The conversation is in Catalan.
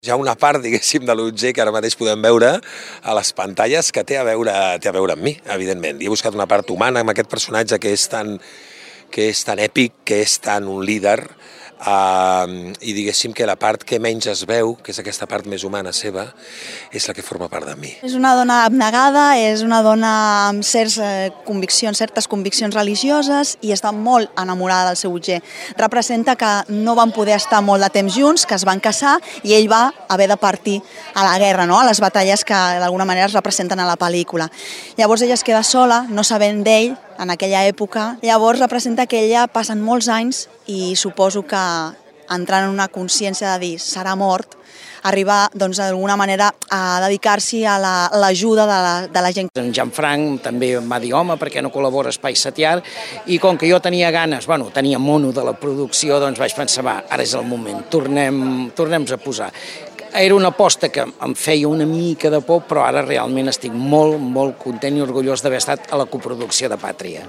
Hi ha una part, diguéssim, de l'Otger que ara mateix podem veure a les pantalles que té a veure amb mi, evidentment. I he buscat una part humana amb aquest personatge que és tan èpic, que és tan un líder, i diguéssim que la part que menys es veu, que és aquesta part més humana seva, és la que forma part de mi. És una dona abnegada, és una dona amb certes conviccions religioses i està molt enamorada del seu Otger. Representa que no van poder estar molt de temps junts, que es van casar i ell va haver de partir a la guerra, no? A les batalles que d'alguna manera es representen a la pel·lícula. Llavors ella es queda sola, no sabent d'ell, en aquella època. Llavors representa que ella passen molts anys i suposo que entrant en una consciència de dir serà mort, arribar d'alguna manera a dedicar-s'hi a l'ajuda de la gent. En Jean-Franc també em va dir, home, per què no col·labora Espai Setiar? I com que jo tenia ganes, tenia mono de la producció, doncs vaig pensar, va, ara és el moment, tornem-nos a posar. Era una aposta que em feia una mica de por, però ara realment estic molt, molt content i orgullós d'haver estat a la coproducció de Pàtria.